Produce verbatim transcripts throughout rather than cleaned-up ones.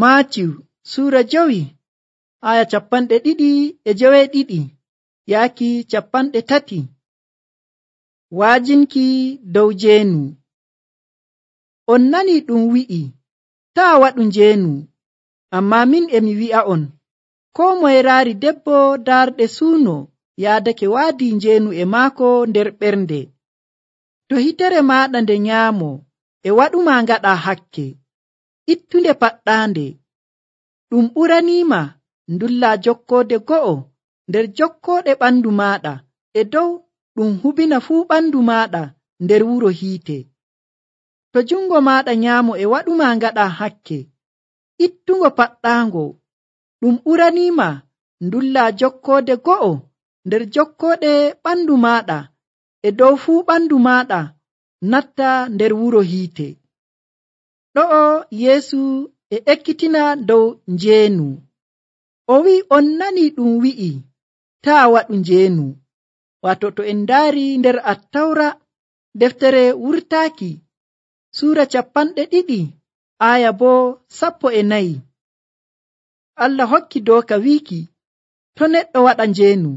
Maatiw suura jowi aya capanɗe ɗiɗi e joweeɗiɗi yaaki capanɗe tati. Waajinki dow njeenu. On nani ɗum wi'i taa waɗu njeenu, amma min emi wi'a'on koo moye raari debbo darɗe suuno yaadake waadi njeenu e maako nder ɓernde. To hitere maaɗa nde nyaamo e waɗuma ngaɗa hakke, ittunde paɗɗaande. Ɗum ɓuraniima ndulla jokkoode go'o nder jokkooɗe ɓandu maaɗa e dow ɗum hubina fuu ɓandu maaɗa nder wuro hiite. To jungo maaɗa nyaamo e waɗuma ngaɗa hakke, ittungo paɗɗaango. Ɗum ɓuraniima ndulla jokkoode go'o nder jokkooɗe ɓandu maaɗa e dow fuu ɓandu maaɗa natta nder wuro hiite. Ɗo'o Yeesu e ekkitina dow njeenu. O wi'i on nani ɗum wi'i taa waɗu njeenu. Wato to en ndaari nder Attawra deftere wurtaaki suura capanɗe ɗiɗi aya boo sappo e nayi. Allah hokki dooka wiiki to neɗɗo waɗa njeenu.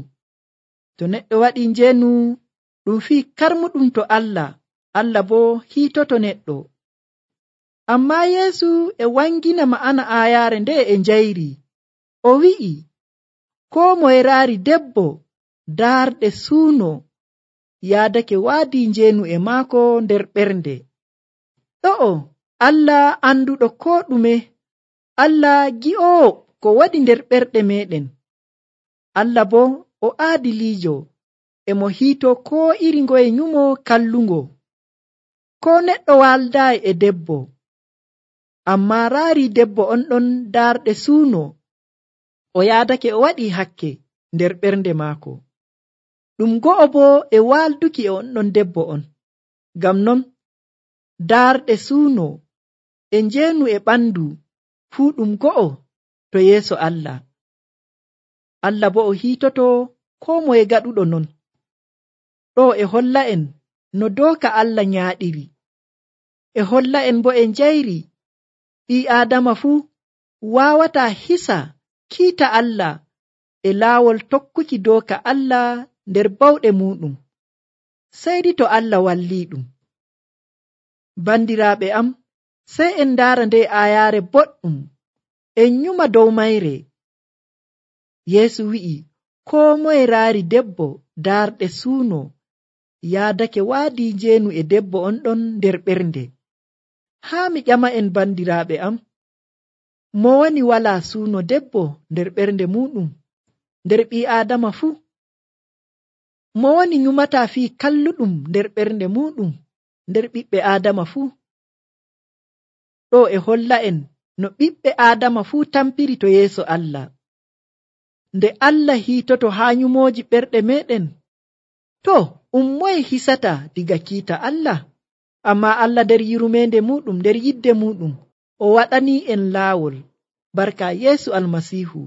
To neɗɗo waɗi njeenu ɗum fii karmuɗum to Allah, Allah boo hiitoto neɗɗo. Amma Yeesu e wangina ma'ana aayaare nde e njayri. O wi'i koo moye raari debbo daarɗe suuno yaadake waadi njeenu e maako nder ɓernde. Ɗo'o Allah anduɗo koo ɗume, Allah gi'oowo ko waɗi nder ɓerɗe meɗen. Allah boo o aadiliijo, e mo hiito koo iri ngoye nyumo kallungo. Koo neɗɗo waldaayi e debbo, amma raari debbo on ɗon darɗe suuno, o yaadake o waɗi hakke nder ɓernde maako. Ɗum go'o boo e walduki e on ɗon debbo on. Ngam non darɗe suuno e njeenu e ɓandu fuu ɗum go'o to yeeso Allah. Allah boo o hiitoto koo moye gaɗuɗo non. Ɗo e holla en no dooka Allah nyaaɗiri. E holla en bo e njayri ɓii Aadama fuu waawataa hisa kiita Allah e laawol tokkuki dooka Allah nder bawɗe muuɗum, seydi to Allah wallii ɗum. Bandiraaɓe am, sey en ndaara nde aayaare boɗɗum en nyuma dow mayre. Yeesu wi'i koo moye raari debbo darɗe suuno yaadake waadi njeenu e debbo on ɗon nder ɓernde. Haa mi ƴama en bandiraaɓe am, mo woni walaa suuno debbo nder ɓernde muuɗum nder ɓii Aadama fuu? Mo woni nyumataa fii kalluɗum nder ɓernde muuɗum nder ɓiɓɓe Aadama fuu? Ɗo e holla en no ɓiɓɓe Aadama fuu tampiri to yeeso Allah. Nde Allah hiitoto haa nyumooji ɓerɗe meɗen, to um moye hisata diga kiita Allah? Amma Allah nder yurmeende muɗum, nder yidde muɗum, o waɗanii en laawol barka Yeesu Almasiihu.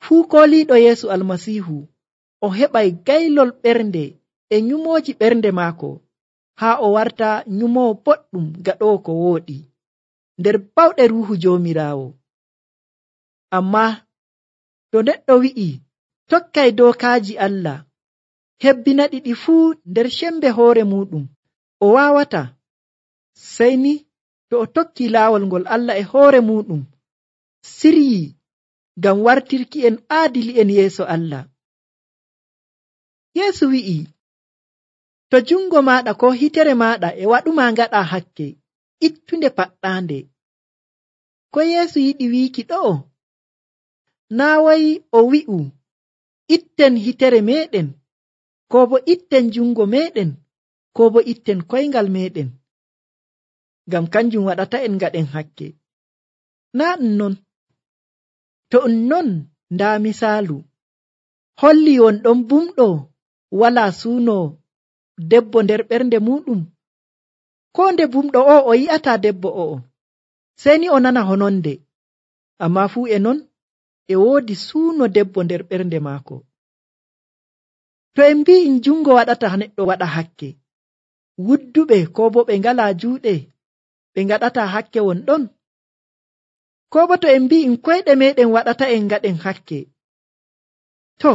Fuu kooliiɗo Yeesu Almasiihu o heɓay gaylol ɓernde e nyumooji ɓernde maako, haa o warta nyumoowo boɗɗum gaɗoowo ko wooɗi nder bawɗe Ruuhu Joomiraawo. Amma to neɗɗo wi'i tokkay dookaaji Allah, hebbina ɗiɗi fuu nder sembe hoore muɗum, o waawata. Sey ni to o tokki laawol ngol Allah e hoore muɗum siryi ngam wartirki en aadili'en yeeso Allah. Yeesu wi'i to jungo maaɗa ko hitere maaɗa e waɗuma ngaɗa hakke, ittunde paɗɗaande. Ko Yeesu yiɗi wiiki ɗo'o? Naa wai o wi'u itten hitere meɗen, ko bo itten jungo meɗen, ko bo itten koyngal meɗen, ngam kanjum waɗata en ngaɗen hakke. Naa ɗum non. To ɗum non, ndaa misaalu holli won ɗon bumɗo walaa suuno debbo nder ɓernde muɗum. Ko nde bumɗo o o yi'ata debbo o'o, sey ni o nana hononde, amma fuu e non e woodi suuno debbo nder ɓernde maako. To en mbi'in jungo waɗata neɗɗo waɗa hakke, wudduɓe ko bo ɓe ngalaa juuɗe ɓe ngaɗata hakke won ɗon? ko bo to en mbi'in koyɗe meɗen waɗata en ngaɗen hakke, to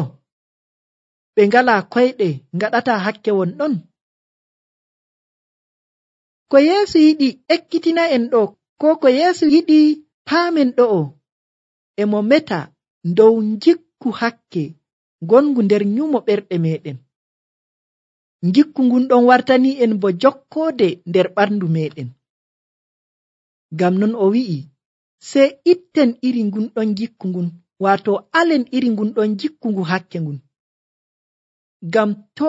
ɓe ngalaa koyɗe ngaɗata hakke won ɗon. Ko Yeesu yiɗi ekkitina en ɗo, ko ko Yeesu yiɗi paamen ɗo'o, e mo meta dow ngikku hakke gongu nder nyumo ɓerɗe meɗen. Ngikku ngun ɗon wartani en bo jokkoode nder ɓandu meɗen. Ngam non o wi'i, sey itten iri ngun ɗon ngikku ngun, waato alen iri ngun ɗon ngikku ngu hakke ngun. Ngam to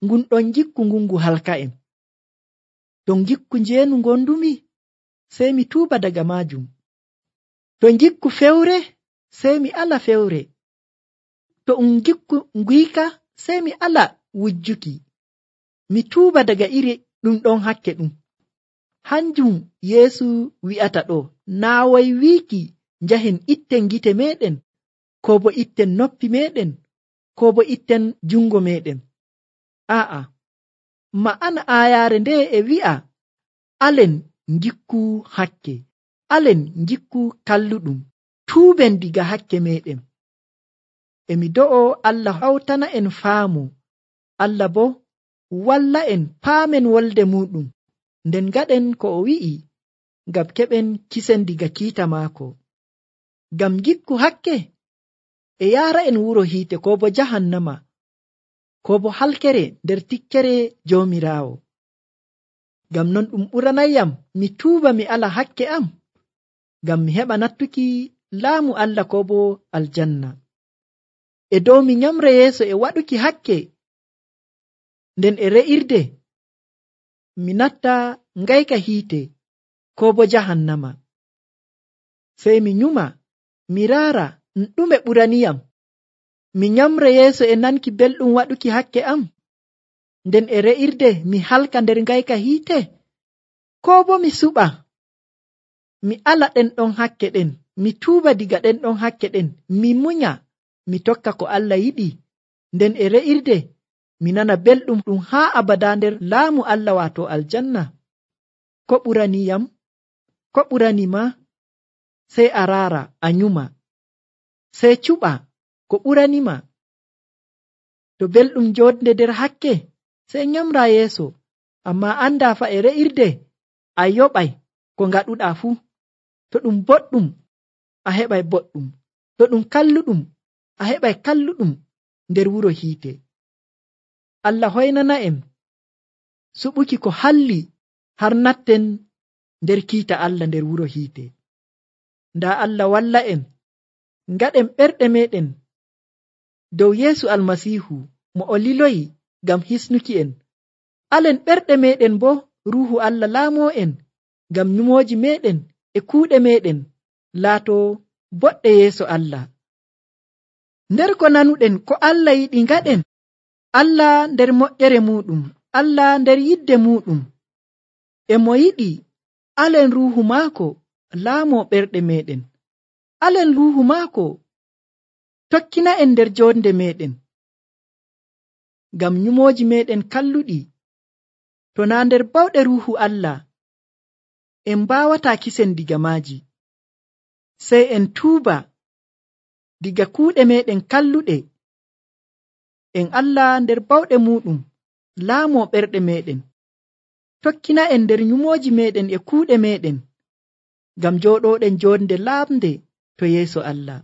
ngun ɗon ngikku ngun ngu halka en. To ngikku njeenu ngondumi, sey mi tuuba daga maajum. To ngikku fewre, sey mi ala fewre. To um ngikku nguyka, sey mi ala wujjuki. Mi tuuba daga iri ɗum ɗon hakke ɗum. Hanjum Yeesu wi'ata ɗo, naa woy wiiki njahen itten gite meɗen, ko bo itten noppi meɗen, ko bo itten jungo meɗen. Aa'a, ma'ana aayaare nde e wi'a alen ngikku hakke, alen ngikku kalluɗum, tuuben diga hakke meɗen. Emi do'o Allah hawtana en faamu, Allah bo walla en paamen wolde muɗum, nden gaɗen ko o wi'i, ngam keɓen kisen diga kiita maako. Ngam ngikku hakke e yaara en wuro hiite ko bo jahannama, ko bo halkere nder tikkere Joomiraawo. Ngam non ɗum ɓuranayam mi tuuba mi ala hakke am, ngam mi heɓa nattuki laamu Allah ko bo aljanna. E dow mi nyamra yeeso e waɗuki hakke, nden e re'irde mi natta ngayka hiite ko bo jahannama. Sey mi nyuma mi raara ɗume ɓuraniyam, mi nyamra yeeso e nanki belɗum waɗuki hakke am, nden e re'irde mi halka nder ngayka hiite, ko bo mi suɓa mi ala ɗen ɗon hakke ɗen, mi tuuba diga ɗen ɗon hakke ɗen, mi munya mi tokka ko Allah yiɗi, nden e re'irde mi nana belɗum ɗum haa abada nder laamu Allah waato aljanna. Ko ɓuraniyam, ko ɓuranima? Sey a raara a nyuma, sey cuɓa ko ɓuranima. To belɗum joodde nder hakke, sey nyamra yeeso, amma anda fa e re'irde a yoɓay ko ngaɗuɗa fuu. To ɗum boɗɗum a heɓay boɗɗum, to ɗum kalluɗum a heɓay kalluɗum nder wuro hiite. Allah hoynana en suɓuki ko halli har natten nder kiita Allah nder wuro hiite. Ndaa Allah walla en ngaɗen ɓerɗe meɗen dow Yeesu Almasiihu mo o liloyi ngam hisnuki en. Alen ɓerɗe meɗen bo Ruuhu Allah laamoo en ngam nyumooji meɗen e kuuɗe meɗen laato boɗɗe yeeso Allah. Nder ko nanuɗen ko Allah yiɗi ngaɗen, Allah nder moƴƴere muɗum, Allah nder yidde muɗum, e mo yiɗi alen Ruuhu maako laamoo ɓerɗe meɗen. Alen Ruuhu maako tokkina en nder jonde meɗen, ngam nyumooji meɗen kalluɗi to naa nder bawɗe Ruuhu Allah en mbawataa kisen diga maaji. Sey en tuuba diga kuuɗe meɗen kalluɗe, en Allah nder bawɗe muɗum laamoo ɓerɗe meɗen, tokkina en nder nyumooji meɗen e kuuɗe meɗen, ngam jooɗoɗen jonde laamde to yeeso Allah.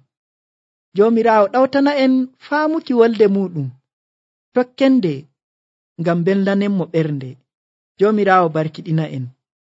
Joomiraawo ɗawtana en faamuki wolde muɗum tokkende, ngam belnanenmo ɓernde. Joomiraawo barkiɗina en.